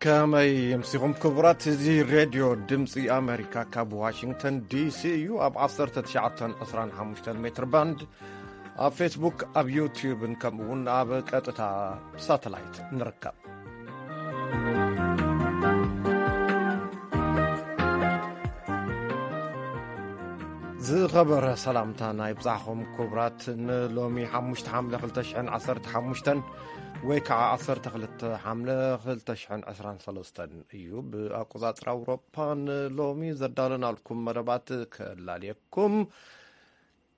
ከመይ የምሲኹም ክቡራት? እዚ ሬድዮ ድምፂ ኣሜሪካ ካብ ዋሽንግተን ዲሲ እዩ። ኣብ ዓሰርተ ትሽዓተ ዕስራን ሓሙሽተን ሜትር ባንድ፣ ኣብ ፌስቡክ፣ ኣብ ዩቲዩብን ከምኡ እውን ኣብ ቀጥታ ሳተላይት ንርከብ። ዝኸበረ ሰላምታ ናይ ብጻሕኹም ክቡራት። ንሎሚ ሓሙሽተ ሓምለ ክልተ ሽሕን ዓሰርተ ሓሙሽተን ወይ ከዓ ዓሰርተ ክልተ ሓምለ ክልተ ሽሕን ዕስራን ሰለስተን እዩ ብኣቆጻጽራ ኣውሮፓ። ንሎሚ ዘዳለናልኩም መደባት ከላልየኩም።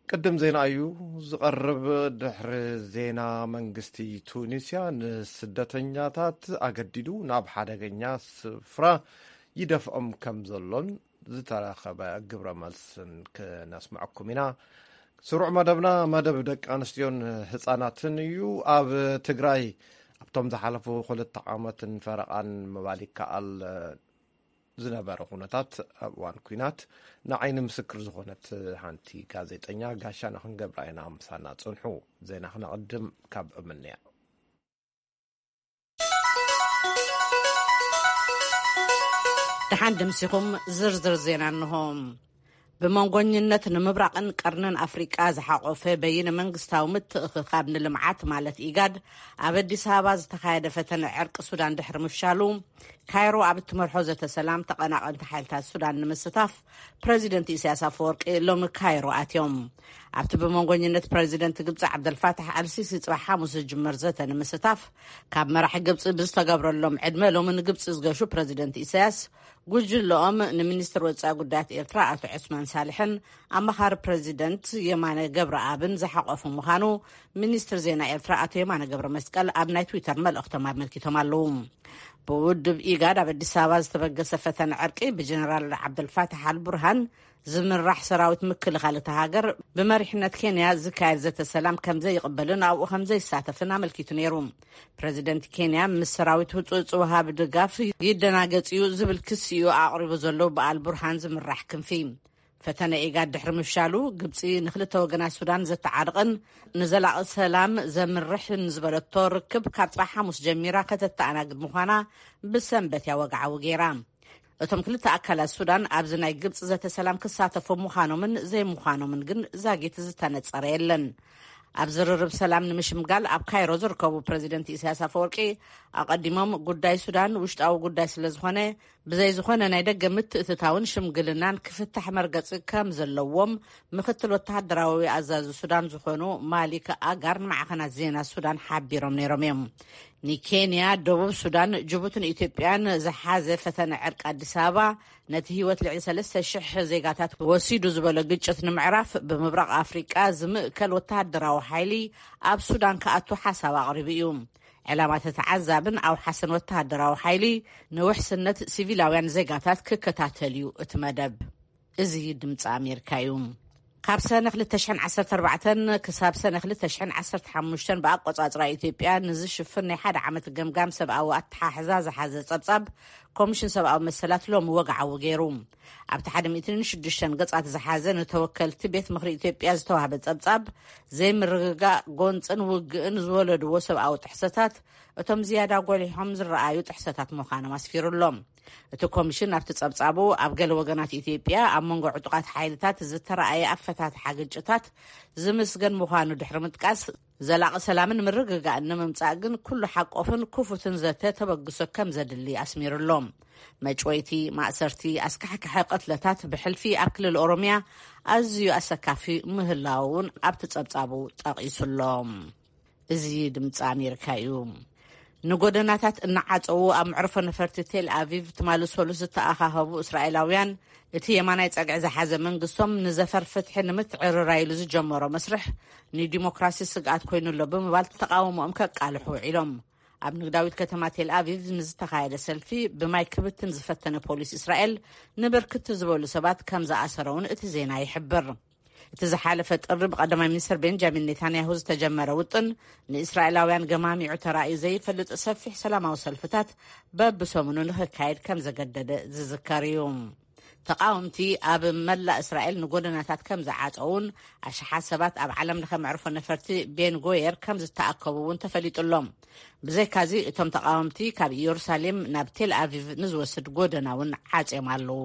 ቅድም ዜና እዩ ዝቐርብ። ድሕሪ ዜና፣ መንግስቲ ቱኒስያ ንስደተኛታት ኣገዲዱ ናብ ሓደገኛ ስፍራ ይደፍኦም ከም ዘሎን ዝተረኸበ ግብረ መልስን ክነስምዐኩም ኢና። ስሩዕ መደብና መደብ ደቂ ኣንስትዮን ህፃናትን እዩ። ኣብ ትግራይ ኣብቶም ዝሓለፉ ክልተ ዓመትን ፈረቓን ምባል ይከኣል ዝነበረ ኩነታት ኣብ እዋን ኲናት ንዓይኒ ምስክር ዝኾነት ሓንቲ ጋዜጠኛ ጋሻና ክንገብራ ኢና። ምሳና ጽንሑ። ዜና ክነቕድም ካብ እምንያ። ደሓን ደምሲኹም። ዝርዝር ዜና እንሆ። ብመንጎኝነት ንምብራቕን ቀርንን ኣፍሪቃ ዝሓቆፈ በይነ መንግስታዊ ምትእኽኻብ ንልምዓት ማለት ኢጋድ ኣብ ኣዲስ ኣበባ ዝተኻየደ ፈተነ ዕርቂ ሱዳን ድሕሪ ምፍሻሉ፣ ካይሮ ኣብ እትመርሖ ዘተ ሰላም ተቐናቐንቲ ሓይልታት ሱዳን ንምስታፍ ፕረዚደንት ኢሳያስ ኣፈወርቂ ሎሚ ካይሮ ኣትዮም። ኣብቲ ብመንጎኝነት ፕረዚደንት ግብፂ ዓብደልፋታሕ ኣልሲሲ ፅባሕ ሓሙስ ዝጅመር ዘተ ንምስታፍ ካብ መራሒ ግብፂ ብዝተገብረሎም ዕድመ ሎሚ ንግብፂ ዝገሹ ፕረዚደንት ኢሳያስ፣ ጉጅለኦም ንሚኒስትር ወፃኢ ጉዳያት ኤርትራ ኣቶ ዑስማን ሳልሕን ኣማኻሪ ፕረዚደንት የማነ ገብረኣብን ዝሓቆፉ ምዃኑ ሚኒስትር ዜና ኤርትራ ኣቶ የማነ ገብረ መስቀል ኣብ ናይ ትዊተር መልእኽቶም ኣመልኪቶም ኣለዉ። ብውድብ ኢጋድ ኣብ ኣዲስ ኣበባ ዝተበገሰ ፈተነ ዕርቂ ብጀነራል ዓብደልፋታሕ ኣልቡርሃን ዝምራሕ ሰራዊት ምክልኻል እታ ሃገር ብመሪሕነት ኬንያ ዝካየድ ዘተ ሰላም ከም ዘይቕበልን ኣብኡ ከም ዘይሳተፍን ኣመልኪቱ ነይሩ። ፕረዚደንት ኬንያ ምስ ሰራዊት ህጹጽ ወሃቢ ድጋፍ ይደናገጽ እዩ ዝብል ክሲ እዩ ኣቕሪቡ ዘሎ ብኣልቡርሃን ዝምራሕ ክንፊ። ፈተነ ኢጋድ ድሕሪ ምፍሻሉ፣ ግብጺ ንክልተ ወገናት ሱዳን ዘተዓርቕን ንዘላቒ ሰላም ዘምርሕን ዝበለቶ ርክብ ካብ ጽባሕ ሓሙስ ጀሚራ ከተተኣናግድ ምዃና ብሰንበት እያ ወግዓዊ ገይራ። እቶም ክልተ ኣካላት ሱዳን ኣብዚ ናይ ግብጺ ዘተ ሰላም ክሳተፉ ምዃኖምን ዘይምዃኖምን ግን ዛጊት ዝተነጸረ የለን። ኣብ ዝርርብ ሰላም ንምሽምጋል ኣብ ካይሮ ዝርከቡ ፕረዚደንት ኢሳያስ ኣፈወርቂ፣ ኣቐዲሞም ጉዳይ ሱዳን ውሽጣዊ ጉዳይ ስለ ዝኾነ፣ ብዘይ ዝኾነ ናይ ደገ ምትእትታውን ሽምግልናን ክፍታሕ መርገጺ ከም ዘለዎም ምክትል ወተሃደራዊ ኣዛዚ ሱዳን ዝኾኑ ማሊክ ኣጋር ንማዕኸናት ዜና ሱዳን ሓቢሮም ነይሮም እዮም። ንኬንያ፣ ደቡብ ሱዳን፣ ጅቡትን ኢትዮጵያን ዝሓዘ ፈተነ ዕርቂ ኣዲስ ኣበባ፣ ነቲ ህይወት ልዕሊ ሰለስተ ሽሕ ዜጋታት ወሲዱ ዝበሎ ግጭት ንምዕራፍ፣ ብምብራቕ ኣፍሪቃ ዝምእከል ወተሃደራዊ ሓይሊ ኣብ ሱዳን ክኣቱ ሓሳብ ኣቕሪቡ እዩ። ዕላማ ተተዓዛብን ኣውሓስን ወተሃደራዊ ሓይሊ ንውሕስነት ሲቪላውያን ዜጋታት ክከታተል እዩ እቲ መደብ። እዚ ድምፂ ኣሜሪካ እዩ። ካብ ሰነ ክልተ ሽሕን ዓሰርተ ኣርባዕተን ክሳብ ሰነ ክልተ ሽሕን ዓሰርተ ሓሙሽተን ብኣቆጻጽራ ኢትዮጵያ ንዝሽፍን ናይ ሓደ ዓመት ገምጋም ሰብኣዊ ኣተሓሕዛ ዝሓዘ ጸብጻብ ኮሚሽን ሰብኣዊ መሰላት ሎሚ ወግዓዊ ገይሩ። ኣብቲ ሓደ ሚእትን ሽዱሽተን ገጻት ዝሓዘ ንተወከልቲ ቤት ምኽሪ ኢትዮጵያ ዝተዋህበ ጸብጻብ፣ ዘይምርግጋእ፣ ጎንጽን ውግእን ዝወለድዎ ሰብኣዊ ጥሕሰታት እቶም ዝያዳ ጎሊሖም ዝረኣዩ ጥሕሰታት ምዃኖም ኣስፊሩ ኣሎ። እቲ ኮሚሽን ኣብቲ ጸብጻቡ፣ ኣብ ገለ ወገናት ኢትዮጵያ ኣብ መንጎ ዕጡቓት ሓይልታት ዝተረኣየ ኣፈታትሓ ግጭታት ዝምስገን ምዃኑ ድሕሪ ምጥቃስ፣ ዘላቒ ሰላምን ምርግጋእን ንምምጻእ ግን ኩሉ ሓቆፍን ክፉትን ዘተ ተበግሶ ከም ዘድሊ ኣስሚሩ ኣሎ። መጭወይቲ፣ ማእሰርቲ፣ ኣስካሕካሒ ቅትለታት ብሕልፊ ኣብ ክልል ኦሮምያ ኣዝዩ ኣሰካፊ ምህላዉ እውን ኣብቲ ጸብጻቡ ጠቒሱ ኣሎ። እዚ ድምፂ ኣሜሪካ እዩ። ንጎደናታት እናዓጸዉ ኣብ መዕርፎ ነፈርቲ ቴል ኣቪቭ ትማሊ ሰሉስ ዝተኣኻኸቡ እስራኤላውያን፣ እቲ የማናይ ጸግዒ ዝሓዘ መንግስቶም ንዘፈር ፍትሒ ንምትዕርራይ ኢሉ ዝጀመሮ መስርሕ ንዲሞክራሲ ስግኣት ኮይኑ ኣሎ ብምባል ተቃውሞኦም ከቃልሑ ውዒሎም። ኣብ ንግዳዊት ከተማ ቴል ኣቪቭ ንዝተኻየደ ሰልፊ ብማይ ክብትን ዝፈተነ ፖሊስ እስራኤል ንብርክት ዝበሉ ሰባት ከም ዝኣሰረ እውን እቲ ዜና ይሕብር። እቲ ዝሓለፈ ጥሪ ብቀዳማይ ሚኒስትር ቤንጃሚን ኔታንያሁ ዝተጀመረ ውጥን፣ ንእስራኤላውያን ገማሚዑ ተራእዩ ዘይፈልጥ ሰፊሕ ሰላማዊ ሰልፍታት በብሰሙኑ ንክካየድ ከም ዘገደደ ዝዝከር እዩ። ተቃወምቲ ኣብ መላእ እስራኤል ንጎደናታት ከም ዝዓጸውን ኣሽሓት ሰባት ኣብ ዓለም ለኸ መዕርፎ ነፈርቲ ቤን ጎየር ከም ዝተኣከቡ እውን ተፈሊጡ ኣሎ። ብዘይካዚ እቶም ተቃወምቲ ካብ ኢየሩሳሌም ናብ ቴል ኣቪቭ ንዝወስድ ጎደና እውን ዓጽዮም ኣለዉ።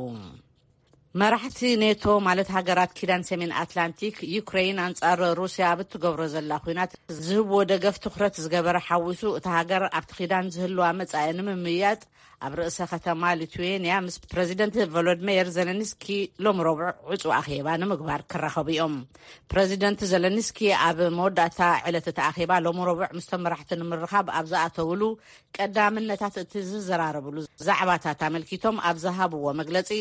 መራሕቲ ኔቶ ማለት ሃገራት ኪዳን ሰሜን ኣትላንቲክ ዩክሬን ኣንጻር ሩስያ ኣብ እትገብሮ ዘላ ኲናት ዝህብዎ ደገፍ ትኹረት ዝገበረ ሓዊሱ እቲ ሃገር ኣብቲ ኪዳን ዝህልዋ መጻኢ ንምምያጥ ኣብ ርእሰ ከተማ ሊቱዌንያ ምስ ፕረዚደንት ቮሎድሜየር ዘለንስኪ ሎም ረቡዕ ዕጹ ኣኼባ ንምግባር ክራኸቡ እዮም። ፕረዚደንት ዘለንስኪ ኣብ መወዳእታ ዕለት እቲ ኣኼባ ሎም ረቡዕ ምስቶም መራሕቲ ንምርኻብ ኣብ ዝኣተውሉ ቀዳምነታት እቲ ዝዘራረብሉ ዛዕባታት ኣመልኪቶም ኣብ ዝሃብዎ መግለጺ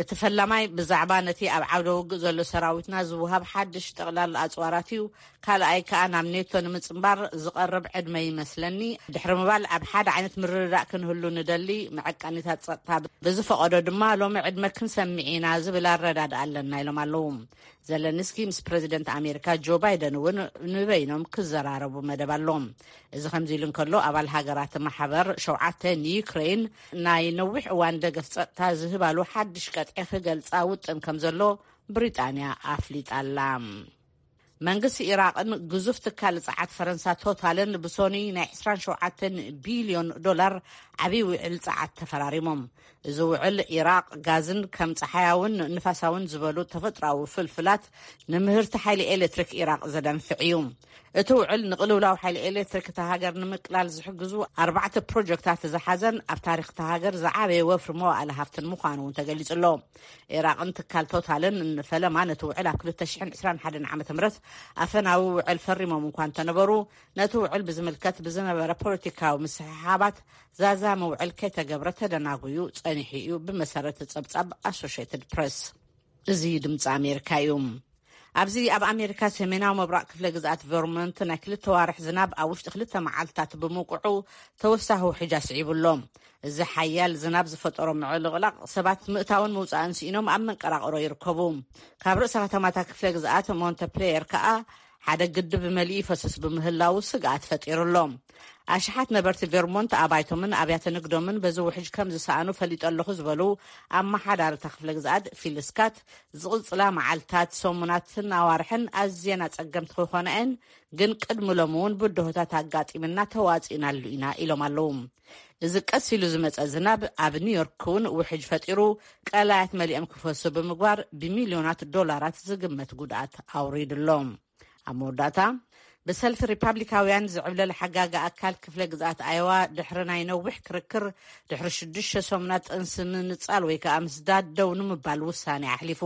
እቲ ፈላማይ ብዛዕባ ነቲ ኣብ ዓውደ ውግእ ዘሎ ሰራዊትና ዝውሃብ ሓድሽ ጠቕላል ኣጽዋራት እዩ። ካልኣይ ከኣ ናብ ኔቶ ንምጽንባር ዝቐርብ ዕድመ ይመስለኒ። ድሕሪ ምባል ኣብ ሓደ ዓይነት ምርድዳእ ክንህሉ ንደሊ፣ መዐቀኒታት ጸጥታ ብዝፈቐዶ ድማ ሎሚ ዕድመ ክንሰምዕ ኢና ዝብል ኣረዳድኣ ኣለና ኢሎም ኣለዉ። ዘለንስኪ ምስ ፕረዚደንት ኣሜሪካ ጆ ባይደን እውን ንበይኖም ክዘራረቡ መደብ ኣሎ። እዚ ከምዚ ኢሉ እንከሎ ኣባል ሃገራት ማሕበር ሸውዓተ ንዩክሬን ናይ ነዊሕ እዋን ደገፍ ጸጥታ ዝህባሉ ሓድሽ ቀጥዒ ክገልጻ ውጥን ከም ዘሎ ብሪጣንያ ኣፍሊጣ ኣላ። መንግስቲ ኢራቕን ግዙፍ ትካል ጸዓት ፈረንሳ ቶታልን ብሶኒ ናይ ዕስራን ሸውዓተን ቢልዮን ዶላር ዓብዪ ውዕል ጸዓት ተፈራሪሞም። እዚ ውዕል ኢራቕ ጋዝን ከም ጸሓያውን ንፋሳውን ዝበሉ ተፈጥሮኣዊ ፍልፍላት ንምህርቲ ሓይሊ ኤሌክትሪክ ኢራቕ ዘደንፍዕ እዩ። እቲ ውዕል ንቕልውላው ሓይሊ ኤሌክትሪክ እታ ሃገር ንምቅላል ዝሕግዙ ኣርባዕተ ፕሮጀክታት ዝሓዘን ኣብ ታሪኽ እታ ሃገር ዝዓበየ ወፍሪ መዋእለ ሃፍትን ምዃኑ እውን ተገሊጹ ኣሎ። ኢራቕን ትካል ቶታልን ንፈለማ ነቲ ውዕል ኣብ ክልተ ሽሕን ዕስራን ሓደን ዓመተ ምህረት ኣፈናዊ ውዕል ፈሪሞም እንኳ እንተነበሩ፣ ነቲ ውዕል ብዝምልከት ብዝነበረ ፖለቲካዊ ምስሕሓባት ዛዛሚ ውዕል ከይተገብረ ተደናጉዩ ጸኒሑ እዩ፣ ብመሰረት ጸብጻብ ኣሶሽየትድ ፕሬስ። እዚ ድምፂ ኣሜሪካ እዩ። ኣብዚ ኣብ ኣሜሪካ ሰሜናዊ ምብራቕ ክፍለ ግዝኣት ቨርሞንት ናይ ክልተ ዋርሕ ዝናብ ኣብ ውሽጢ ክልተ መዓልትታት ብምውቅዑ ተወሳኺ ውሕጅ ኣስዒቡ ኣሎ። እዚ ሓያል ዝናብ ዝፈጠሮ ምዕልቕላቕ ሰባት ምእታውን ምውፃእን ስኢኖም ኣብ መንቀራቕሮ ይርከቡ። ካብ ርእሰ ከተማታት ክፍለ ግዝኣት ሞንተፕሌየር ከኣ ሓደ ግድብ መሊኡ ይፈስስ ብምህላዉ ስግኣት ፈጢሩ ኣሎ። ኣሽሓት ነበርቲ ቨርሞንት ኣባይቶምን ኣብያተ ንግዶምን በዚ ውሕጅ ከም ዝሰኣኑ ፈሊጠ ኣለኹ ዝበሉ ኣመሓዳሪ እታ ክፍለ ግዝኣት ፊል ስካት፣ ዝቕጽላ መዓልታት፣ ሰሙናትን ኣዋርሕን ኣዝየን ኣጸገምቲ ክኾና እየን፣ ግን ቅድሚ ሎሚ እውን ብድሆታት ኣጋጢምና ተዋጺእናሉ ኢና ኢሎም ኣለዉ። እዚ ቀስ ኢሉ ዝመጸ ዝናብ ኣብ ኒውዮርክ እውን ውሕጅ ፈጢሩ ቀላያት መሊኦም ክፈሱ ብምግባር ብሚልዮናት ዶላራት ዝግመት ጉድኣት ኣውሪዱ ኣሎ። ኣብ መወዳእታ ብሰልፊ ሪፓብሊካውያን ዝዕብለል ሓጋጊ ኣካል ክፍለ ግዝኣት ኣየዋ ድሕሪ ናይ ነዊሕ ክርክር ድሕሪ ሽዱሽተ ሰሙናት ጥንሲ ምንጻል ወይ ከኣ ምስዳድ ደው ንምባል ውሳኔ ኣሕሊፉ።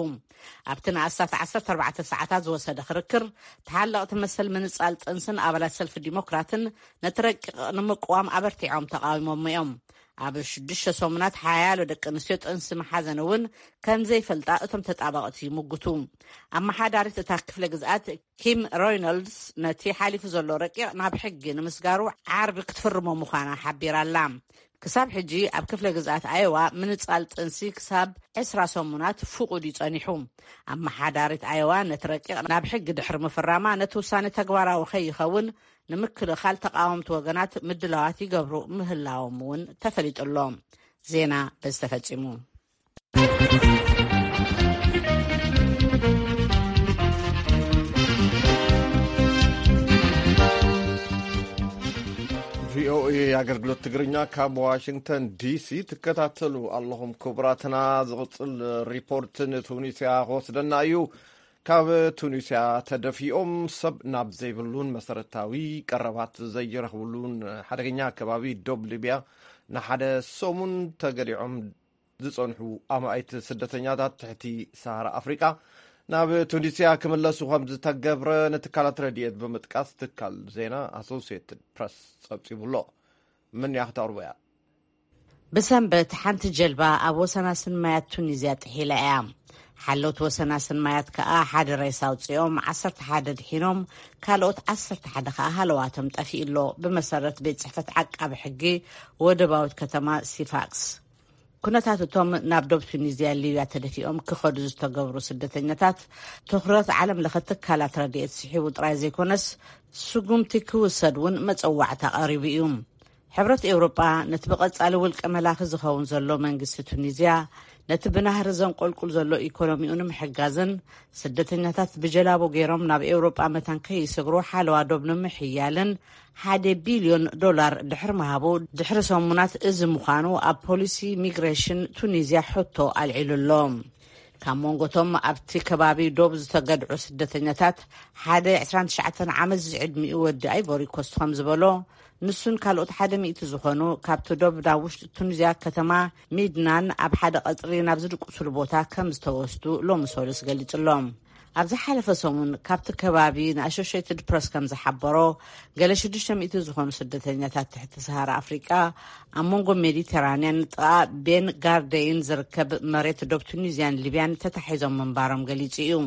ኣብቲ ንኣስታት ዓሰርተ ኣርባዕተ ሰዓታት ዝወሰደ ክርክር ተሓለቕቲ መሰል ምንጻል ጥንስን ኣባላት ሰልፊ ዲሞክራትን ነቲ ረቂቕ ንምቅዋም ኣበርቲዖም ተቓዊሞሞ እዮም። ኣብ ሽዱሽተ ሰሙናት ሓያሎ ደቂ ኣንስትዮ ጥንሲ መሓዘን እውን ከም ዘይፈልጣ እቶም ተጣበቕቲ ይምጉቱ። ኣመሓዳሪት እታ ክፍለ ግዝኣት ኪም ሮይኖልድስ ነቲ ሓሊፉ ዘሎ ረቂቕ ናብ ሕጊ ንምስጋሩ ዓርቢ ክትፍርሞ ምዃና ሓቢራ ኣላ። ክሳብ ሕጂ ኣብ ክፍለ ግዝኣት ኣየዋ ምንጻል ጥንሲ ክሳብ ዕስራ ሰሙናት ፍቑድ እዩ ጸኒሑ። ኣመሓዳሪት ኣየዋ ነቲ ረቂቕ ናብ ሕጊ ድሕሪ ምፍራማ ነቲ ውሳነ ተግባራዊ ከይኸውን ንምክልኻል ተቓወምቲ ወገናት ምድላዋት ይገብሩ ምህላዎም እውን ተፈሊጡ ኣሎ። ዜና በዚ ተፈጺሙ። ቪኦኤ ኣገልግሎት ትግርኛ ካብ ዋሽንግተን ዲሲ ትከታተሉ ኣለኹም። ክቡራትና፣ ዝቕጽል ሪፖርት ንቱኒስያ ክወስደና እዩ። ካብ ቱኒስያ ተደፊኦም ሰብ ናብ ዘይብሉን መሰረታዊ ቀረባት ዘይረኽብሉን ሓደገኛ ከባቢ ዶብ ሊብያ ንሓደ ሰሙን ተገሊዖም ዝጸንሑ ኣማኢት ስደተኛታት ትሕቲ ሰሃራ ኣፍሪቃ ናብ ቱኒስያ ክምለሱ ከም ዝተገብረ ንትካላት ረድኤት ብምጥቃስ ትካል ዜና ኣሶሲየትድ ፕረስ ጸብጺቡ ኣሎ። ምን ያኽታርቦያ? ብሰንበት ሓንቲ ጀልባ ኣብ ወሰናስን ማያት ቱኒዝያ ጥሒላ እያ። ሓለውቲ ወሰናስን ማያት ከኣ ሓደ ሬሳ ኣውጺኦም፣ ዓሰርተ ሓደ ድሒኖም፣ ካልኦት ዓሰርተ ሓደ ከኣ ሃለዋቶም ጠፊኡ ኣሎ። ብመሰረት ቤት ጽሕፈት ዓቃቢ ሕጊ ወደባዊት ከተማ ሲፋክስ። ኩነታት እቶም ናብ ዶብ ቱኒዝያ ሊብያ ተደፊኦም ክኸዱ ዝተገብሩ ስደተኛታት ትኹረት ዓለም ለኸ ትካላት ረድኤት ስሒቡ ጥራይ ዘይኮነስ ስጉምቲ ክውሰድ እውን መጸዋዕታ ቀሪቡ እዩ። ሕብረት ኤውሮጳ ነቲ ብቐጻሊ ውልቀ መላኺ ዝኸውን ዘሎ መንግስቲ ቱኒዝያ ነቲ ብናህሪ ዘንቆልቁል ዘሎ ኢኮኖሚኡ ንምሕጋዝን ስደተኛታት ብጀላቡ ገይሮም ናብ ኤውሮጳ መታን ከይስግሩ ሓለዋ ዶብ ንምሕያልን ሓደ ቢልዮን ዶላር ድሕሪ ምሃቡ ድሕሪ ሰሙናት እዚ ምዃኑ ኣብ ፖሊሲ ሚግሬሽን ቱኒዝያ ሕቶ ኣልዒሉ ኣሎ። ካብ መንጎቶም ኣብቲ ከባቢ ዶብ ዝተገድዑ ስደተኛታት ሓደ ዕስራን ትሽዓተን ዓመት ዝዕድሚኡ ወዲ ኣይቮሪ ኮስት ከም ዝበሎ፣ ንሱን ካልኦት ሓደ ሚእቲ ዝኾኑ ካብቲ ዶብ ናብ ውሽጢ ቱኒዝያ ከተማ ሚድናን ኣብ ሓደ ቀጽሪ ናብ ዝድቅሱሉ ቦታ ከም ዝተወስዱ ሎሚ ሰሉስ ገሊጹ ኣሎ። ኣብ ዝሓለፈ ሰሙን ካብቲ ከባቢ ንኣሶሽየትድ ፕረስ ከም ዝሓበሮ፣ ገለ ሽዱሽተ ሚእቲ ዝኾኑ ስደተኛታት ትሕቲ ሰሃራ ኣፍሪቃ ኣብ መንጎ ሜዲተራንያን ጥቓ ቤን ጋርደይን ዝርከብ መሬት ዶብ ቱኒዝያን ሊብያን ተታሒዞም ምንባሮም ገሊጹ እዩ።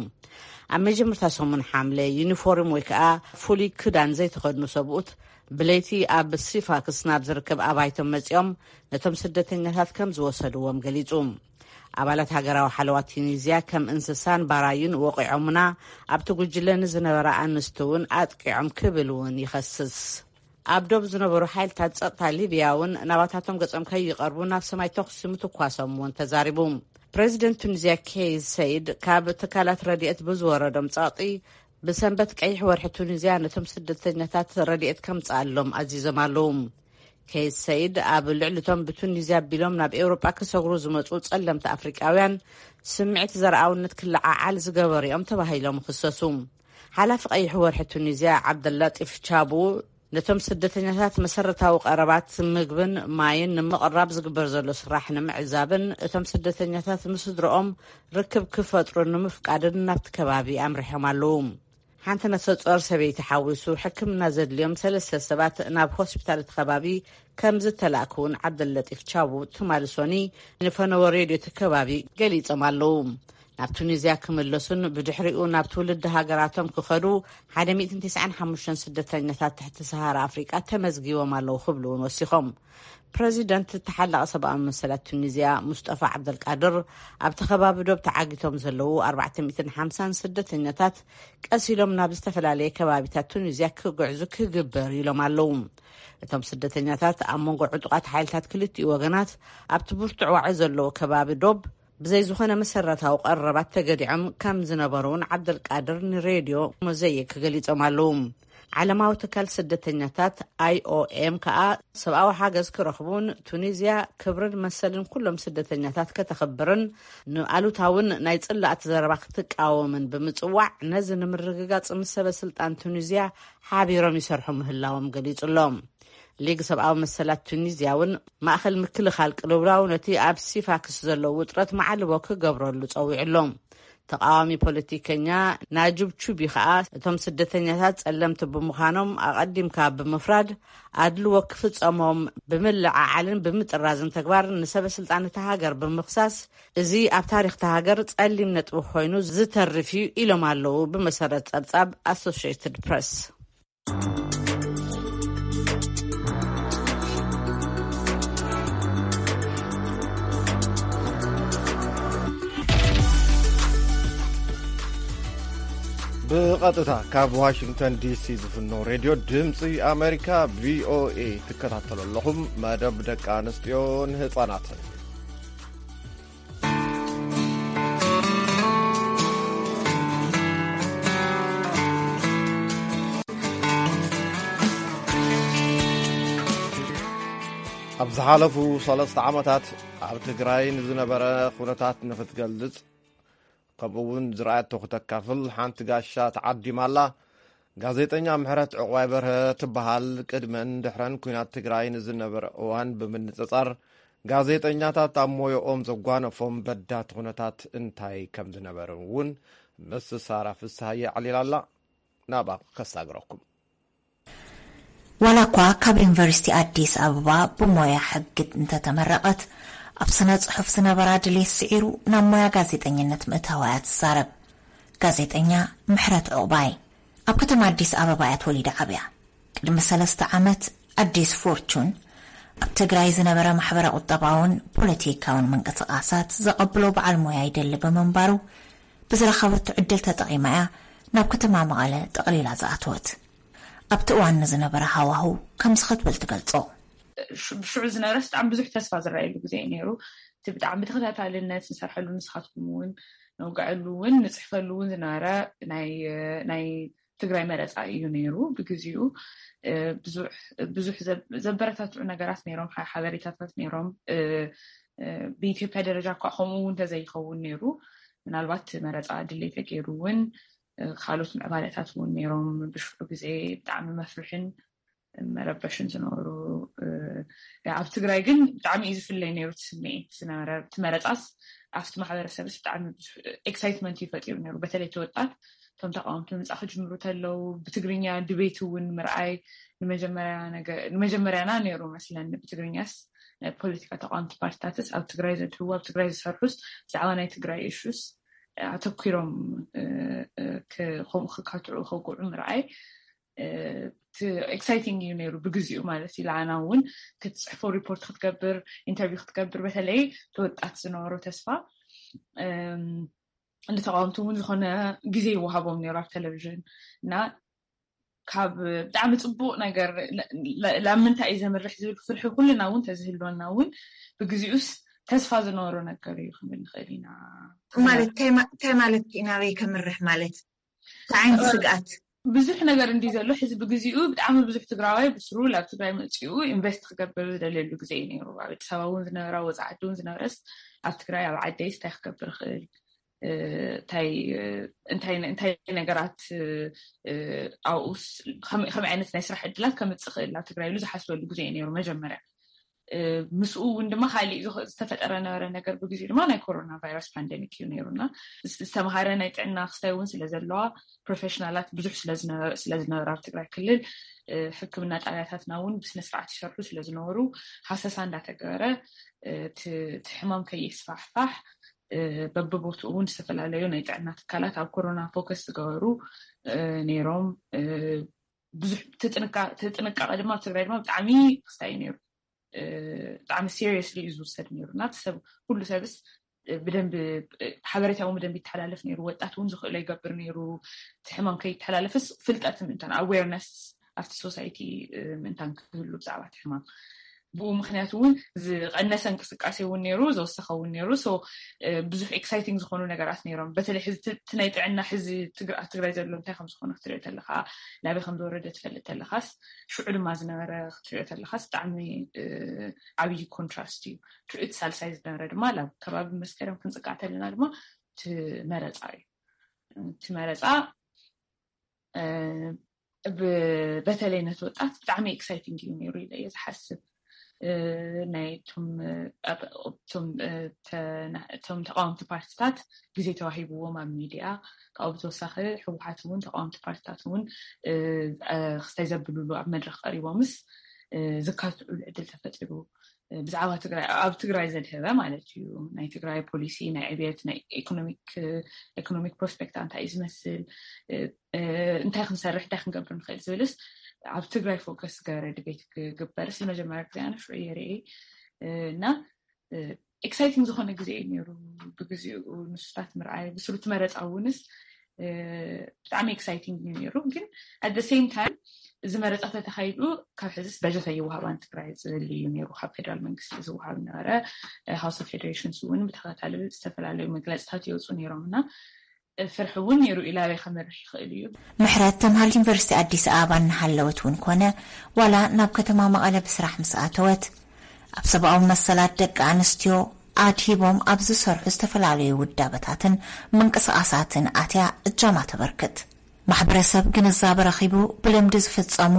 ኣብ መጀመርታ ሰሙን ሓምለ ዩኒፎርም ወይ ከዓ ፍሉይ ክዳን ዘይተኸድኑ ሰብኡት ብለይቲ ኣብ ሲፋክስ ናብ ዝርከብ ኣባይቶም መጺኦም ነቶም ስደተኛታት ከም ዝወሰድዎም ገሊጹ። ኣባላት ሃገራዊ ሓለዋ ቱኒዝያ ከም እንስሳን ባራዩን ወቒዖምና፣ ኣብቲ ጉጅለ ንዝነበራ ኣንስቲ እውን ኣጥቂዖም ክብል እውን ይኸስስ። ኣብ ዶብ ዝነበሩ ሓይልታት ጸጥታ ሊብያ እውን ናባታቶም ገጾም ከይቐርቡ ናብ ሰማይ ተኹሲ ምትኳሶም እውን ተዛሪቡ። ፕሬዚደንት ቱኒዝያ ኬይስ ሰይድ ካብ ትካላት ረድኤት ብዝወረዶም ጸቕጢ ብሰንበት ቀይሕ ወርሒ ቱኒዝያ ነቶም ስደተኛታት ረድኤት ከምጽኣሎም ኣዚዞም ኣለዉ። ኬይስ ሰይድ ኣብ ልዕሊቶም ብቱኒዝያ ኣቢሎም ናብ ኤውሮጳ ክሰግሩ ዝመጹ ጸለምቲ ኣፍሪቃውያን ስምዒት ዘርኣውነት ክለዓዓል ዝገበሩ እዮም ተባሂሎም ይኽሰሱ። ሓላፊ ቀይሕ ወርሒ ቱኒዝያ ዓብደላጢፍ ቻቡ ነቶም ስደተኛታት መሰረታዊ ቀረባት ምግብን ማይን ንምቕራብ ዝግበር ዘሎ ስራሕ ንምዕዛብን እቶም ስደተኛታት ምስ ስድረኦም ርክብ ክፈጥሩ ንምፍቃድን ናብቲ ከባቢ ኣምሪሖም ኣለዉ። ሓንቲ ነፍሰ ጾር ሰበይቲ ሓዊሱ ሕክምና ዘድልዮም ሰለስተ ሰባት ናብ ሆስፒታል እቲ ከባቢ ከም ዝተላእኩ እውን ዓብደለጢፍ ቻቡ ትማሊ ሶኒ ንፈነወ ሬድዮ እቲ ከባቢ ገሊጾም ኣለዉ። ናብ ቱኒዝያ ክምለሱን ብድሕሪኡ ናብ ትውልዲ ሃገራቶም ክኸዱ ሓደ ሚእትን ተስዓን ሓሙሽተን ስደተኛታት ትሕቲ ሰሃራ ኣፍሪቃ ተመዝጊቦም ኣለዉ ክብሉ እውን ወሲኾም። ፕረዚደንት ተሓላቒ ሰብኣዊ መሰላት ቱኒዝያ ሙስጠፋ ዓብደልቃድር ኣብቲ ከባቢ ዶብ ተዓጊቶም ዘለዉ ኣርባዕተ ሚእትን ሓምሳን ስደተኛታት ቀስ ኢሎም ናብ ዝተፈላለየ ከባቢታት ቱኒዝያ ክግዕዙ ክግበር ኢሎም ኣለዉ። እቶም ስደተኛታት ኣብ መንጎ ዕጡቓት ሓይልታት ክልቲኡ ወገናት ኣብቲ ብርቱዕ ዋዒ ዘለዎ ከባቢ ዶብ ብዘይ ዝኾነ መሰረታዊ ቀረባት ተገዲዖም ከም ዝነበሩ እውን ዓብደልቃድር ንሬድዮ ሞዘይክ ገሊጾም ኣለዉ። ዓለማዊ ትካል ስደተኛታት ኣይኦኤም ከኣ ሰብኣዊ ሓገዝ ክረኽቡን ቱኒዝያ ክብርን መሰልን ኩሎም ስደተኛታት ከተኽብርን ንኣሉታውን ናይ ጽላእቲ ዘረባ ክትቃወምን ብምጽዋዕ ነዚ ንምርግጋጽ ምስ ሰበ ስልጣን ቱኒዝያ ሓቢሮም ይሰርሑ ምህላዎም ገሊጹ ኣሎ። ሊግ ሰብኣዊ መሰላት ቱኒዝያ እውን ማእኸል ምክልኻል ቅልውላው ነቲ ኣብ ሲፋክስ ዘሎ ውጥረት ማዕልቦ ክገብረሉ ጸዊዑ ኣሎ። ተቃዋሚ ፖለቲከኛ ናጁብ ቹቢ ከኣ እቶም ስደተኛታት ጸለምቲ ብምዃኖም ኣቐዲምካ ብምፍራድ ኣድልዎ ክፍጸሞም ብምልዓዓልን ብምጥራዝን ተግባር ንሰበ ስልጣን እታ ሃገር ብምኽሳስ እዚ ኣብ ታሪኽ እታ ሃገር ጸሊም ነጥቢ ኮይኑ ዝተርፍ እዩ ኢሎም ኣለዉ ብመሰረት ጸብጻብ ኣሶሽየትድ ፕረስ። ብቐጥታ ካብ ዋሽንግተን ዲሲ ዝፍኖ ሬድዮ ድምፂ ኣሜሪካ ቪኦኤ ትከታተሉ ኣለኹም። መደብ ደቂ ኣንስትዮን ህፃናትን። ኣብ ዝሓለፉ ሰለስተ ዓመታት ኣብ ትግራይ ንዝነበረ ኩነታት ንክትገልጽ፣ ከምኡ እውን ዝረኣየቶ ክተካፍል ሓንቲ ጋሻ ተዓዲማ ኣላ። ጋዜጠኛ ምሕረት ዕቑባይ በርሀ ትበሃል። ቅድመን ድሕረን ኲናት ትግራይ ንዝነበረ እዋን ብምንጽጻር፣ ጋዜጠኛታት ኣብ ሞያኦም ዘጓነፎም በዳህቲ ኩነታት እንታይ ከም ዝነበረ እውን ምስ ሳራ ፍስሃየ ኣዕሊላ ኣላ። ናብኣ ከሳግረኩም። ዋላ እኳ ካብ ዩኒቨርሲቲ ኣዲስ ኣበባ ብሞያ ሕጊ እንተተመረቐት፣ ኣብ ስነ ጽሑፍ ዝነበራ ድሌት ስዒሩ ናብ ሞያ ጋዜጠኝነት ምእታዋ እያ ትዛረብ። ጋዜጠኛ ምሕረት ዕቑባይ ኣብ ከተማ ኣዲስ ኣበባ እያ ተወሊዳ ዓብያ። ቅድሚ ሰለስተ ዓመት ኣዲስ ፎርቹን ኣብ ትግራይ ዝነበረ ማሕበረ ቁጠባውን ፖለቲካውን ምንቅስቃሳት ዘቐብሎ በዓል ሞያ ይደሊ ብምንባሩ፣ ብዝረኸበቶ ዕድል ተጠቒማ እያ ናብ ከተማ መቐለ ጠቕሊላ ዝኣተወት። ኣብቲ እዋን ንዝነበረ ሃዋህው ከምዚ ክትብል ትገልጾ። ብሽዑ ዝነበረስ ብጣዕሚ ብዙሕ ተስፋ ዝረኣየሉ ግዜ እዩ ነይሩ። እቲ ብጣዕሚ ብተኸታታልነት ንሰርሐሉ፣ ንስኻትኩም እውን ነውግዐሉ እውን ንፅሕፈሉ እውን ዝነበረ ናይ ትግራይ መረፃ እዩ ነይሩ። ብግዚኡ ብዙሕ ዘበረታትዑ ነገራት ነይሮም፣ ሓበሬታታት ነይሮም። ብኢትዮጵያ ደረጃ እኳ ከምኡ እውን ተዘይኸውን ነይሩ፣ ምናልባት መረፃ ድሌተ ገይሩ እውን ካልኦት ምዕባለታት እውን ነይሮም። ብሽዑ ግዜ ብጣዕሚ መፍርሕን መረበሽን ዝነበሩ፣ ኣብ ትግራይ ግን ብጣዕሚ እዩ ዝፍለይ ነይሩ እቲ ስምዒት ዝነበረ። እቲ መረፃስ ኣብቲ ማሕበረሰብስ ብጣዕሚ ኤክሳይትመንት እዩ ፈጢሩ ነይሩ። በተለይ እቲ ወጣት እቶም ተቃወምቲ ምፃ ክጅምሩ ተለው ብትግርኛ ድቤት እውን ምርኣይ ንመጀመርያና ነይሩ መስለኒ። ብትግርኛስ ናይ ፖለቲካ ተቃወምቲ ፓርቲታትስ ኣብ ትግራይ ዘድህቡ፣ ኣብ ትግራይ ዝሰርሑስ ብዛዕባ ናይ ትግራይ እሹስ ኣተኪሮም ከምኡ ክካትዑ ከውግዑ ምርኣይ ኤክሳይቲንግ እዩ ነይሩ ብግዚኡ ማለት እዩ። ለዓና እውን ክትፅሕፎ፣ ሪፖርት ክትገብር፣ ኢንተርቪው ክትገብር፣ በተለይ ተወጣት ዝነበሩ ተስፋ ንተቃወምቲ እውን ዝኾነ ግዜ ይወሃቦም ነይሩ ኣብ ቴሌቪዥን እና ካብ ብጣዕሚ ፅቡቅ ነገር ላምንታይ እዩ ዘምርሕ ዝብል ፍርሒ ኩልና እውን ተዝህልወና እውን ብግዚኡስ ተስፋ ዝነበሮ ነገር እዩ ክንብል ንኽእል ኢና። ማለት እንታይ ማለት ናበይ ከምርሕ ማለት እንታይ ዓይነት ስግኣት ብዙሕ ነገር እንዲ ዘሎ ሕዚ ብግዚኡ ብጣዕሚ ብዙሕ ትግራዋይ ብስሩ ላብ ትግራይ መፂኡ ኢንቨስት ክገብር ዝደልየሉ ግዜ እዩ ነይሩ። ኣብ ኣዲስ ኣበባ እውን ዝነበራ ወፃዓዲ እውን ዝነበረስ ኣብ ትግራይ ኣብ ዓደይስ እንታይ ክገብር ይኽእል እንታይ ነገራት ኣብኡስ ከመይ ዓይነት ናይ ስራሕ ዕድላት ከምፅእ ክእል ናብ ትግራይ ኢሉ ዝሓስበሉ ግዜ እዩ ነይሩ መጀመርያ። ምስኡ እውን ድማ ካሊእ ዝተፈጠረ ነበረ ነገር ብግዜ ድማ ናይ ኮሮና ቫይረስ ፓንደሚክ እዩ ነይሩና። ዝተምሃረ ናይ ጥዕና ክስታይ እውን ስለዘለዋ ፕሮፌሽናላት ብዙሕ ስለዝነበረ ኣብ ትግራይ ክልል ሕክምና ጣብያታትና እውን ብስነስርዓት ይሰርሑ ስለዝነበሩ ሃሰሳ እንዳተገበረ እቲ ሕማም ከይስፋሕፋሕ በብቦትኡ እውን ዝተፈላለዩ ናይ ጥዕና ትካላት ኣብ ኮሮና ፎከስ ዝገበሩ ነይሮም። ብዙሕ ትጥንቃቐ ድማ ኣብ ትግራይ ድማ ብጣዕሚ ክስታይ እዩ ነይሩ። ብጣዕሚ ሲሪየስሊ እዩ ዝውሰድ ነይሩ እና ሰብ ኩሉ ሰብስ ብደንብ ሓበሬታ እውን ብደንብ ይተሓላለፍ ነይሩ። ወጣት እውን ዝኽእሎ ይገብር ነይሩ። እቲ ሕማም ከይተሓላለፍስ ፍልጠት ምእንታን ኣዌርነስ ኣብቲ ሶሳይቲ ምእንታን ክህሉ ብዛዕባ እቲ ሕማም ብኡ ምክንያት እውን ዝቀነሰ እንቅስቃሴ እውን ነይሩ፣ ዘወሰኸ እውን ነይሩ። ብዙሕ ኤክሳይቲንግ ዝኾኑ ነገራት ነይሮም። በተለይ ሕዚ እቲ ናይ ጥዕና ሕዚ ትግራይ ዘሎ እንታይ ከም ዝኾነ ክትሪኦ ተለካ፣ ናበይ ከም ዝወረደ ትፈልጥ ተለካስ፣ ሽዑ ድማ ዝነበረ ክትሪኦ ተለካስ ብጣዕሚ ዓብዪ ኮንትራስት እዩ። እቲ ሳልሳይ ዝነበረ ድማ ላብ ከባቢ መስከረም ክንፅቃዕ ተለና ድማ እቲ መረፃ እዩ። እቲ መረፃ በተለይ ነቲ ወጣት ብጣዕሚ ኤክሳይቲንግ እዩ ነይሩ ኢለ እየ ዝሓስብ። ናይ እቶም ተቃወምቲ ፓርቲታት ግዜ ተዋሂብዎም ኣብ ሚድያ፣ ካብኡ ብተወሳኺ ህወሓት እውን ተቃወምቲ ፓርቲታት እውን ክስታይ ዘብልሉ ኣብ መድረክ ቀሪቦምስ ዝካትዑሉ ዕድል ተፈጢሩ። ብዛዕባ ትግራይ ኣብ ትግራይ ዘድህበ ማለት እዩ። ናይ ትግራይ ፖሊሲ ናይ ዕብየት ናይ ኢኮኖሚክ ፕሮስፔክት እንታይ እዩ ዝመስል፣ እንታይ ክንሰርሕ እንታይ ክንገብር ንኽእል ዝብልስ ኣብ ትግራይ ፎከስ ገበረ ድቤት ክግበርስ ንመጀመርያ ግዜ ኣነ ሽዑ እየ ርእየ እና ኤክሳይቲንግ ዝኾነ ግዜ እዩ ነይሩ። ብግዚኡ ንሱታት ምርኣይ ብስሩ እቲ መረፃ እውንስ ብጣዕሚ ኤክሳይቲንግ እዩ ነይሩ። ግን ኣት ሴም ታይም እዚ መረፃ ተተካይዱ ካብ ሕዝስ በጀት ኣይወሃባን ትግራይ ዝብል እዩ ነይሩ። ካብ ፌደራል መንግስቲ ዝወሃብ ነበረ። ሃውስ ኦፍ ፌዴሬሽንስ እውን ብተኸታተሊ ዝተፈላለዩ መግለፅታት ይወፁ ነይሮም እና ፍርሒ እውን ነይሩ ኢላበይ ከመርሕ ይኽእል እዩ። ምሕረት ተምሃር ዩኒቨርሲቲ ኣዲስ ኣበባ እናሃለወት እውን ኮነ ዋላ ናብ ከተማ መቐለ ብስራሕ ምስ ኣተወት ኣብ ሰብኣዊ መሰላት ደቂ ኣንስትዮ ኣድሂቦም ኣብ ዝሰርሑ ዝተፈላለዩ ውዳበታትን ምንቅስቃሳትን ኣትያ እጃማ ተበርክት። ማሕበረሰብ ግንዛበ ረኺቡ ብልምዲ ዝፍጸሙ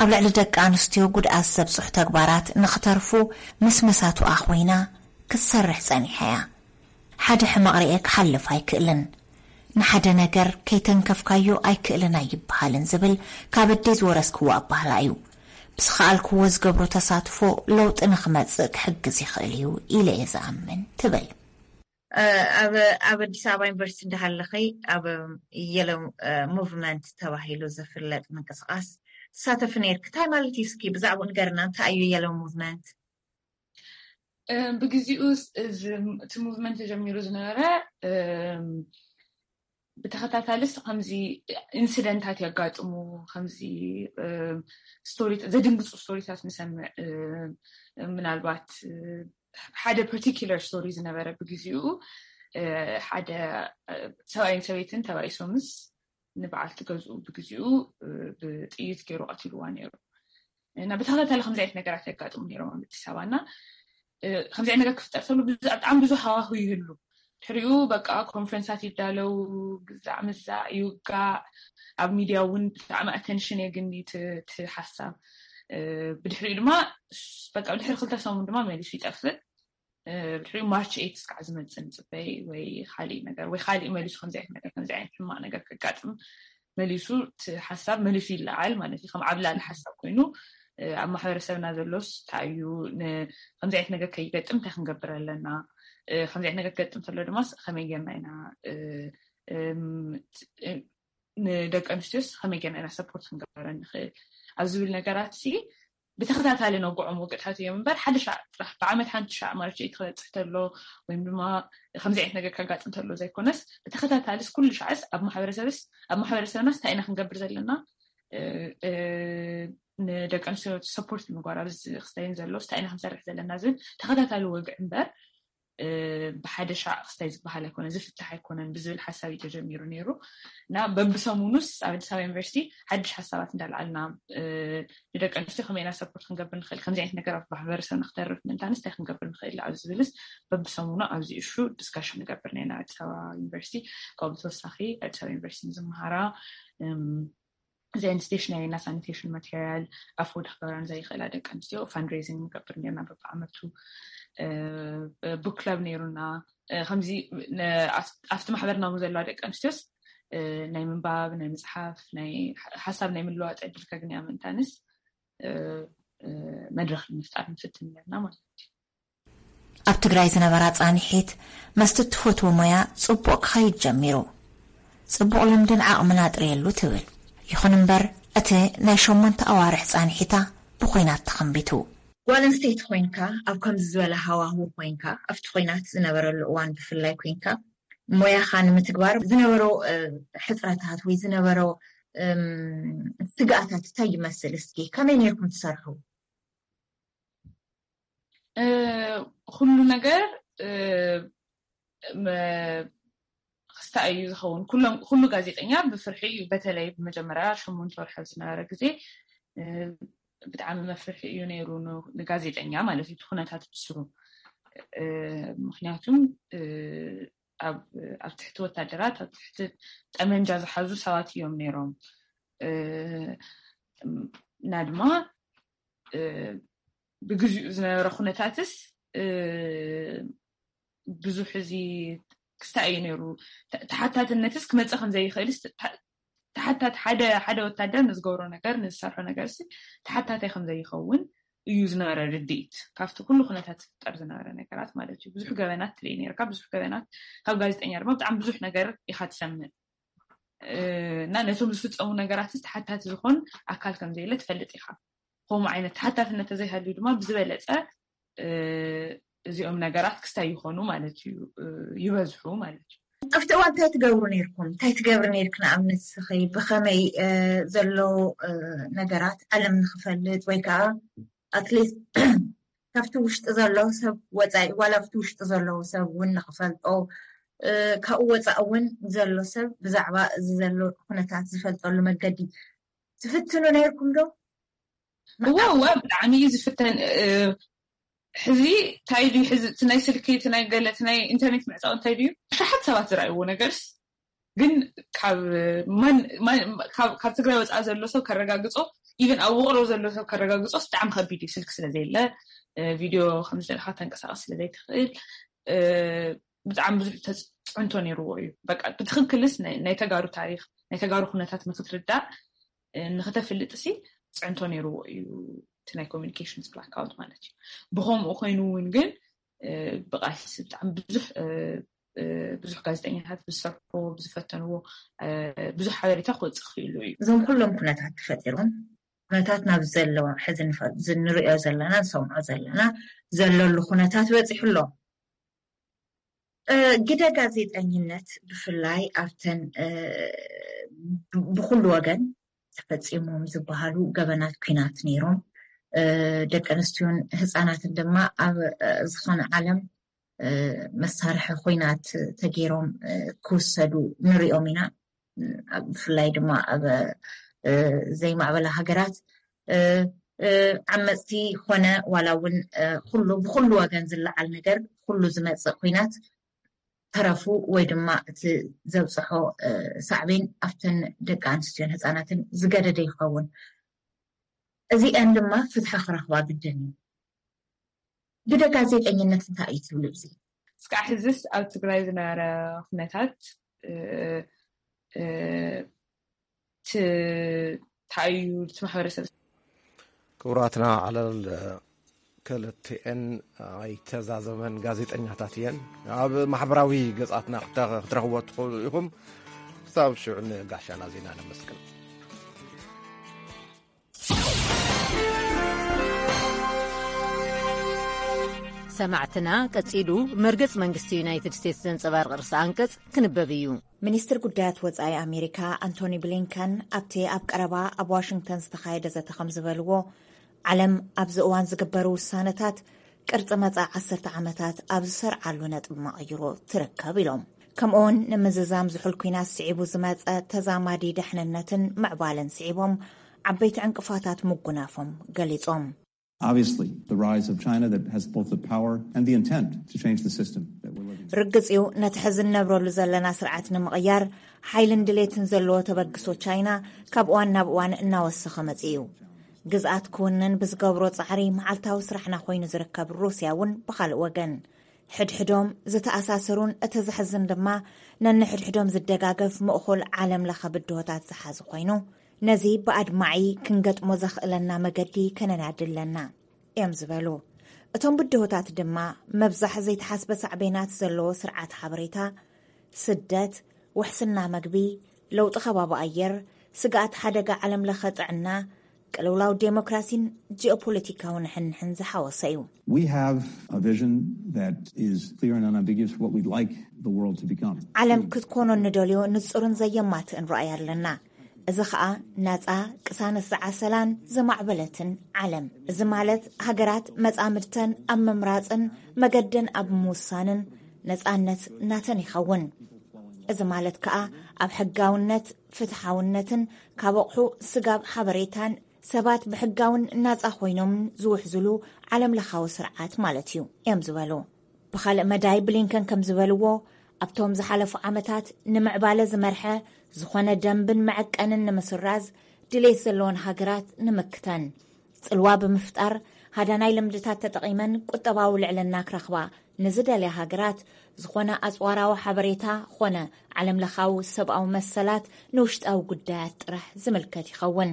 ኣብ ልዕሊ ደቂ ኣንስትዮ ጉድኣት ዘብፅሑ ተግባራት ንኽተርፉ ምስ መሳቱኣ ኮይና ክትሰርሕ ጸኒሓ እያ። ሓደ ሕማቕ ርኤ ክሓልፍ ኣይክእልን፣ ንሓደ ነገር ከይተንከፍካዮ ኣይክእልን ኣይበሃልን ዝብል ካብ ኣደይ ዝወረስክዎ ኣባህላ እዩ። ብዝኸኣልክዎ ዝገብሮ ተሳትፎ ለውጢ ንኽመፅእ ክሕግዝ ይኽእል እዩ ኢለ እየ ዝኣምን ትብል። ኣብ ኣዲስ ኣበባ ዩኒቨርሲቲ እንዳሃለኸይ ኣብ የሎ ሙቭመንት ተባሂሉ ዝፍለጥ ምንቅስቃስ ትሳተፊ ነይርኪ። እንታይ ማለት እዩ? እስኪ ብዛዕባኡ ንገርና። እንታይ እዩ የሎ ሙቭመንት? ብግዚኡ እቲ ሙቭመንት ተጀሚሩ ዝነበረ ብተኸታታልስ ከምዚ ኢንሲደንታት የጋጥሙ፣ ከምዚ ስቶሪ፣ ዘድንግፁ ስቶሪታት ንሰምዕ። ምናልባት ሓደ ፓርቲኪለር ስቶሪ ዝነበረ፣ ብግዚኡ ሓደ ሰብኣይን ሰበይትን ተባኢሶምስ ንበዓልቲ ገዝኡ ብግዚኡ ብጥይት ገይሩ ቀቲልዋ ነይሩ። እና ብተኸታታሊ ከምዚ ዓይነት ነገራት የጋጥሙ ነይሮም ኣብ ኣዲስ ኣበባ። እና ከምዚ ዓይነት ነገር ክፍጠር ከሎ ብጣዕሚ ብዙ ሃዋሁ ይህሉ። ድሕሪኡ በቃ ኮንፈረንሳት ይዳለው፣ ግዛዕ ምዛዕ ይውጋዕ፣ ኣብ ሚድያ እውን ብጣዕሚ ኣተንሽን የግኒ እቲ ሓሳብ። ብድሕሪኡ ድማ በቃ ድሕሪ ክልተ ሰሙን ድማ መሊሱ ይጠፍእ። ብድሕሪኡ ማርች ኤይት እስካዕ ዝመፅእ ንፅበይ፣ ወይ ካሊእ ነገር፣ ወይ ካሊእ መሊሱ ከምዚ ዓይነት ነገር፣ ከምዚ ዓይነት ሕማቕ ነገር ከጋጥም መሊሱ እቲ ሓሳብ መሊሱ ይለዓል ማለት እዩ። ከም ዓብላሊ ሓሳብ ኮይኑ ኣብ ማሕበረሰብና ዘሎስ እንታይ እዩ፣ ከምዚ ዓይነት ነገር ከይገጥም እንታይ ክንገብር ኣለና፣ ከምዚ ዓይነት ነገር ክገጥም ከሎ ድማ ከመይ ጌርና ኢና ንደቂ ኣንስትዮስ ከመይ ጌርና ኢና ሰፖርት ክንገብረን ንኽእል ኣብ ዝብል ነገራት ሲ ብተኸታታሊ ነጉዖም ወግዕታት እዮም እምበር፣ ሓደ ሻዕ ጥራሕ ብዓመት ሓንቲ ሻዕ ማርች ኤይት ክበፅሕ ተሎ ወይም ድማ ከምዚ ዓይነት ነገር ከጋጥም ተሎ ዘይኮነስ፣ ብተኸታታልስ ኩሉ ሻዕስ ኣብ ማሕበረሰብስ ኣብ ማሕበረሰብናስ እንታይ ኢና ክንገብር ዘለና፣ ንደቂ ኣንስትዮ ሰፖርት ምግባር ኣብዚ ክስተይን ዘሎ እንታይ ኢና ክንሰርሕ ዘለና ዝብል ተኸታታሊ ወግዒ እምበር፣ ብሓደ ሻዕ ክስታይ ዝበሃል ኣይኮነን፣ ዝፍታሕ ኣይኮነን ብዝብል ሓሳብ እዩ ተጀሚሩ ነይሩ። እና በብሰሙኑስ ኣብ ኣዲስ ኣበባ ዩኒቨርሲቲ ሓድሽ ሓሳባት እንዳልዓልና፣ ንደቂ ኣንስትዮ ከመይ ኢና ሰፖርት ክንገብር ንኽእል፣ ከምዚ ዓይነት ነገር ኣብ ማሕበረሰብና ክተርፍ ምእንታንስ እንታይ ክንገብር ንኽእል ኣብ ዝብልስ በብሰሙኑ ኣብዚ እሹ ዲስካሽን ንገብር ነና። ኣዲስ ኣበባ ዩኒቨርሲቲ ካብኡ ብተወሳኺ ኣዲስ ኣበባ ዩኒቨርሲቲ ንዝመሃራ እዚ ዓይነት ስቴሽነሪ እና ሳኒቴሽን ማቴሪያል ኣፎርድ ክገብራ ንዘይኽእላ ደቂ ኣንስትዮ ፋንድሬዚንግ ንገብር ነርና። በብዓመቱ ቡክ ክለብ ነይሩና። ከምዚ ኣብቲ ማሕበርና ዘለዋ ደቂ ኣንስትዮስ ናይ ምንባብ፣ ናይ ምፅሓፍ፣ ናይ ሓሳብ ናይ ምልዋጥ ዕድል ከግንያ ምእንታንስ መድረክ ንምፍጣር ንፍትን ነርና ማለት እዩ። ኣብ ትግራይ ዝነበራ ፃንሒት መስቲ እትፈትዎ ሞያ ፅቡቕ ክኸይድ ጀሚሩ። ፅቡቕ ልምድን ዓቕምን ኣጥርየሉ ትብል። ይኹን እምበር እቲ ናይ ሸሞንተ ኣዋርሕ ፃንሒታ ብኹናት ተኸንቢቱ። ጓል ኣንስተይቲ ኮይንካ ኣብ ከምዚ ዝበለ ሃዋህው ኮይንካ ኣብቲ ኹናት ዝነበረሉ እዋን ብፍላይ ኮይንካ ሞያኻ ንምትግባር ዝነበሮ ሕፅረታት ወይ ዝነበሮ ስግኣታት እንታይ ይመስል? እስኪ ከመይ ነርኩም ትሰርሑ? ኩሉ ነገር ክስታይ እዩ ዝኸውን። ኩሎም ኩሉ ጋዜጠኛ ብፍርሒ እዩ። በተለይ ብመጀመርያ ሸሞንተ ወርሒ ኣብ ዝነበረ ግዜ ብጣዕሚ መፍርሒ እዩ ነይሩ ንጋዜጠኛ ማለት እዩ። እቲ ኩነታት ብስሩ ምክንያቱም ኣብ ትሕቲ ወታደራት ኣብ ትሕቲ ጠመንጃ ዝሓዙ ሰባት እዮም ነይሮም እና ድማ ብግዚኡ ዝነበረ ኩነታትስ ብዙሕ እዚ ክስታይ እዩ ነይሩ። ተሓታትነትስ ክመፅእ ከምዘይኽእልስ ተሓታት ሓደ ሓደ ወታደር ንዝገብሮ ነገር ንዝሰርሖ ነገር ሲ ተሓታታይ ከምዘይኸውን እዩ ዝነበረ ርድኢት ካብቲ ኩሉ ኩነታት ዝፍጠር ዝነበረ ነገራት ማለት እዩ። ብዙሕ ገበናት ትርኢ ነርካ፣ ብዙሕ ገበናት ካብ ጋዜጠኛ ድማ ብጣዕሚ ብዙሕ ነገር ኢኻ ትሰምዕ እና ነቶም ዝፍፀሙ ነገራት ተሓታቲ ዝኾን ኣካል ከምዘየለ ትፈልጥ ኢኻ። ከምኡ ዓይነት ተሓታትነት ተዘይሃልዩ ድማ ብዝበለፀ እዚኦም ነገራት ክስታይ ይኾኑ ማለት እዩ፣ ይበዝሑ ማለት እዩ። ኣብቲ እዋን እንታይ ትገብሩ ነርኩም? እንታይ ትገብሪ ነርክ? ንኣብነት ስኺ ብኸመይ ዘሎ ነገራት ዓለም ንክፈልጥ ወይ ከዓ ኣትሊስት ካብቲ ውሽጢ ዘሎ ሰብ ወፃኢ ዋላ ኣብቲ ውሽጢ ዘለዉ ሰብ እውን ንክፈልጦ ካብኡ ወፃኢ እውን ዘሎ ሰብ ብዛዕባ እዚ ዘሎ ኩነታት ዝፈልጠሉ መገዲ ትፍትኑ ነርኩም ዶ? እወ እወ ብጣዕሚ እዩ ዝፍተን። ሕዚ እንታይ ድዩ ሕዚ እቲ ናይ ስልኪ እቲ ናይ ገለ እቲ ናይ ኢንተርኔት ምዕፃው እንታይ ድዩ? ኣሽሓት ሰባት ዝረኣይዎ ነገርስ ግን ካብ ማን ማን ካብ ካብ ትግራይ ወፃኢ ዘሎ ሰብ ከረጋግፆ ኢቨን ኣብ ውቅሮ ዘሎ ሰብ ከረጋግፆስ ብጣዕሚ ከቢድ እዩ። ስልኪ ስለዘየለ ቪድዮ ከምዝደለካ ተንቀሳቀስ ስለዘይትኽእል ብጣዕሚ ብዙሕ ተፅዕንቶ ነይርዎ እዩ። በቃ ብትኽክልስ ናይ ተጋሩ ታሪክ ናይ ተጋሩ ኩነታት ንክትርዳእ ንክተፍልጥ ሲ ፅዕንቶ ነይርዎ እዩ እቲ ናይ ኮሚኒኬሽንስ ብላክኣውት ማለት እዩ። ብከምኡ ኮይኑ እውን ግን ብቃልሲ ብጣዕሚ ብዙሕ ብዙሕ ጋዜጠኛታት ብዝሰርሕዎ ብዝፈተንዎ ብዙሕ ሓበሬታ ክወፅእ ክኽእሉ እዩ። እዞም ኩሎም ኩነታት ተፈጢሮም ኩነታት ናብ ዘለዎ ሕዚ ንፈልጥ ንሪኦ ዘለና ንሰምዖ ዘለና ዘለሉ ኩነታት በፂሑ ኣሎ። ግደ ጋዜጠኝነት ብፍላይ ኣብተን ብኩሉ ወገን ተፈፂሞም ዝበሃሉ ገበናት ኲናት ነይሮም። ደቂ ኣንስትዮን ህፃናትን ድማ ኣብ ዝኾነ ዓለም መሳርሒ ኲናት ተገይሮም ክውሰዱ ንሪኦም ኢና። ብፍላይ ድማ ኣብ ዘይማዕበላ ሃገራት ዓመፅቲ ኾነ ዋላ እውን ኩሉ ብኩሉ ወገን ዝለዓል ነገር ኩሉ ዝመፅእ ኲናት ተረፉ ወይ ድማ እቲ ዘብፅሖ ሳዕቤን ኣብተን ደቂ ኣንስትዮን ህፃናትን ዝገደደ ይኸውን። እዚአን ድማ ፍትሒ ክረኽባ ግድን እዩ። ግደ ጋዜጠኝነት እንታይ እዩ ትብሉ? እዚ እስካዕ ሕዝስ ኣብ ትግራይ ዝነበረ ኩነታት እንታይ እዩ እቲ ማሕበረሰብ? ክቡራትና ዓለል ክልቲኤን ኣይተዛዘመን ጋዜጠኛታት እየን። ኣብ ማሕበራዊ ገጻትና ክትረኽብዎ ትኽእሉ ኢኹም። ክሳብ ሽዑ ንጋሻና ዜና ነመስግን። ሰማዕትና፣ ቀጺሉ መርገጽ መንግስቲ ዩናይትድ ስቴትስ ዘንጸባርቕ ርእሰ ኣንቀጽ ክንበብ እዩ። ሚኒስትር ጉዳያት ወጻኢ ኣሜሪካ ኣንቶኒ ብሊንከን ኣብቲ ኣብ ቀረባ ኣብ ዋሽንግተን ዝተኻየደ ዘተ ከም ዝበልዎ፣ ዓለም ኣብዚ እዋን ዝግበሩ ውሳነታት ቅርጺ መጻኢ ዓሰርተ ዓመታት ኣብ ዝሰርዓሉ ነጥቢ መቐይሮ ትርከብ ኢሎም። ከምኡውን ንምዝዛም ዝሑል ኲናት ስዒቡ ዝመጸ ተዛማዲ ደሕንነትን ምዕባለን ስዒቦም ዓበይቲ ዕንቅፋታት ምጉናፎም ገሊጾም። Obviously, the rise of China that has both the power and the intent to change the system that we're living in. ርግጽ እዩ፣ ነቲ ሕዚ እንነብረሉ ዘለና ስርዓት ንምቕያር ሓይልን ድሌትን ዘለዎ ተበግሶ ቻይና ካብ እዋን ናብ እዋን እናወሰኸ መጺኡ እዩ። ግዝኣት ክውንን ብዝገብሮ ጻዕሪ መዓልታዊ ስራሕና ኮይኑ ዝርከብ ሩስያ እውን ብኻልእ ወገን ሕድሕዶም ዝተኣሳሰሩን እቲ ዘሕዝን ድማ ነንሕድሕዶም ዝደጋገፍ ምእኹል ዓለም ለኸ ብድሆታት ዝሓዘ ኮይኑ፣ ነዚ ብኣድማዒ ክንገጥሞ ዘኽእለና መገዲ ከነናዲ ኣለና እዮም ዝበሉ። እቶም ብድሆታት ድማ መብዛሕ ዘይተሓስበ ሳዕቤናት ዘለዎ ስርዓት ሓበሬታ፣ ስደት፣ ውሕስና መግቢ፣ ለውጢ ከባቢ ኣየር፣ ስግኣት ሓደጋ ዓለም ለኸ ጥዕና፣ ቅልውላው ዴሞክራሲን ጂኦፖለቲካዊ ንሕንሕን ዝሓወሰ እዩ። We have a vision that is clear and unambiguous for what we'd like the world to become. ዓለም ክትኮኖ እንደልዮ ንጹርን ዘየማትእን ራእይ ኣለና። እዚ ኸኣ ናጻ፣ ቅሳነት ዝዓሰላን ዝማዕበለትን ዓለም። እዚ ማለት ሃገራት መጻምድተን ኣብ ምምራጽን መገደን ኣብ ምውሳንን ነጻነት ናተን ይኸውን። እዚ ማለት ከኣ ኣብ ሕጋውነት፣ ፍትሓውነትን ካብ ኣቑሑ ስጋብ ሓበሬታን ሰባት ብሕጋውን ናጻ ኮይኖምን ዝውሕዝሉ ዓለም ለኻዊ ስርዓት ማለት እዩ እዮም ዝበሉ። ብኻልእ መዳይ ብሊንከን ከም ዝበልዎ ኣብቶም ዝሓለፉ ዓመታት ንምዕባለ ዝመርሐ ዝኾነ ደንብን መዐቀንን ንምስራዝ ድሌት ዘለዎን ሃገራት ንምክተን ጽልዋ ብምፍጣር ሃዳናይ ልምድታት ተጠቒመን ቁጠባዊ ልዕልና ክረኽባ ንዝደልያ ሃገራት ዝኾነ ኣጽዋራዊ ሓበሬታ ኾነ ዓለም ለኻዊ ሰብኣዊ መሰላት ንውሽጣዊ ጉዳያት ጥራሕ ዝምልከት ይኸውን።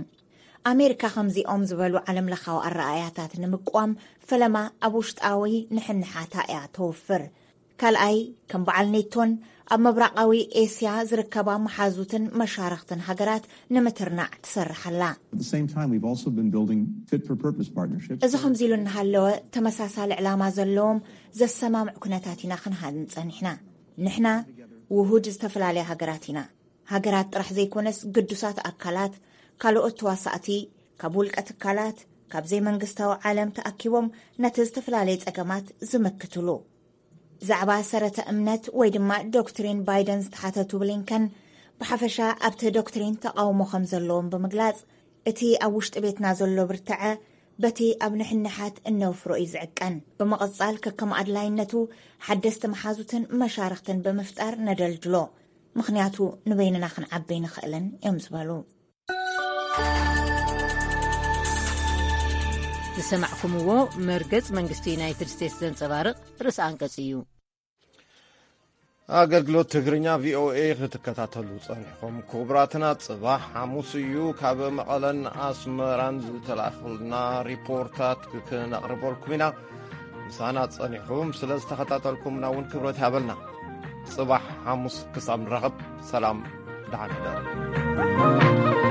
ኣሜሪካ ከምዚኦም ዝበሉ ዓለም ለኻዊ ኣረኣእያታት ንምቋም ፈለማ ኣብ ውሽጣዊ ንሕንሓታ እያ ተውፍር። ካልኣይ ከም በዓል ኔቶን ኣብ ምብራቓዊ ኤስያ ዝርከባ መሓዙትን መሻርኽትን ሃገራት ንምትርናዕ ትሰርሕ ኣላ። At the same time, we've also been building fit for purpose partnerships. እዚ ከምዚ ኢሉ እናሃለወ ተመሳሳሊ ዕላማ ዘለዎም ዘሰማምዕ ኩነታት ኢና ክንሃንጽ ጸኒሕና። ንሕና ውሁድ ዝተፈላለያ ሃገራት ኢና። ሃገራት ጥራሕ ዘይኮነስ ግዱሳት ኣካላት፣ ካልኦት ተዋሳእቲ፣ ካብ ውልቀ ትካላት፣ ካብ ዘይመንግስታዊ ዓለም ተኣኪቦም ነቲ ዝተፈላለየ ጸገማት ዝምክትሉ። ብዛዕባ ሰረተ እምነት ወይ ድማ ዶክትሪን ባይደን ዝተሓተቱ ብሊንከን ብሓፈሻ ኣብቲ ዶክትሪን ተቓውሞ ከም ዘለዎም ብምግላጽ እቲ ኣብ ውሽጢ ቤትና ዘሎ ብርትዐ በቲ ኣብ ንሕንሓት እነውፍሮ እዩ ዝዕቀን። ብምቕጻል ከከም ኣድላይነቱ ሓደስቲ መሓዙትን መሻርኽትን ብምፍጣር ነደልድሎ። ምኽንያቱ ንበይንና ክንዓቢ ንኽእልን እዮም ዝበሉ። ዝሰማዕኩምዎ መርገጽ መንግስቲ ዩናይትድ ስቴትስ ዘንጸባርቕ ርእሲ ኣንቀጽ እዩ። ኣገልግሎት ትግርኛ ቪኦኤ ክትከታተሉ ጸኒሕኩም ክቡራትና፣ ጽባሕ ሓሙስ እዩ። ካብ መቐለን ኣስመራን ዝተላእኹልና ሪፖርታት ክነቕርበልኩም ኢና። ምሳና ጸኒሕኩም ስለ ዝተኸታተልኩምና እውን ክብረት ይሃበልና። ጽባሕ ሓሙስ ክሳብ ንራኸብ ሰላም፣ ደሓን ሕደሩ።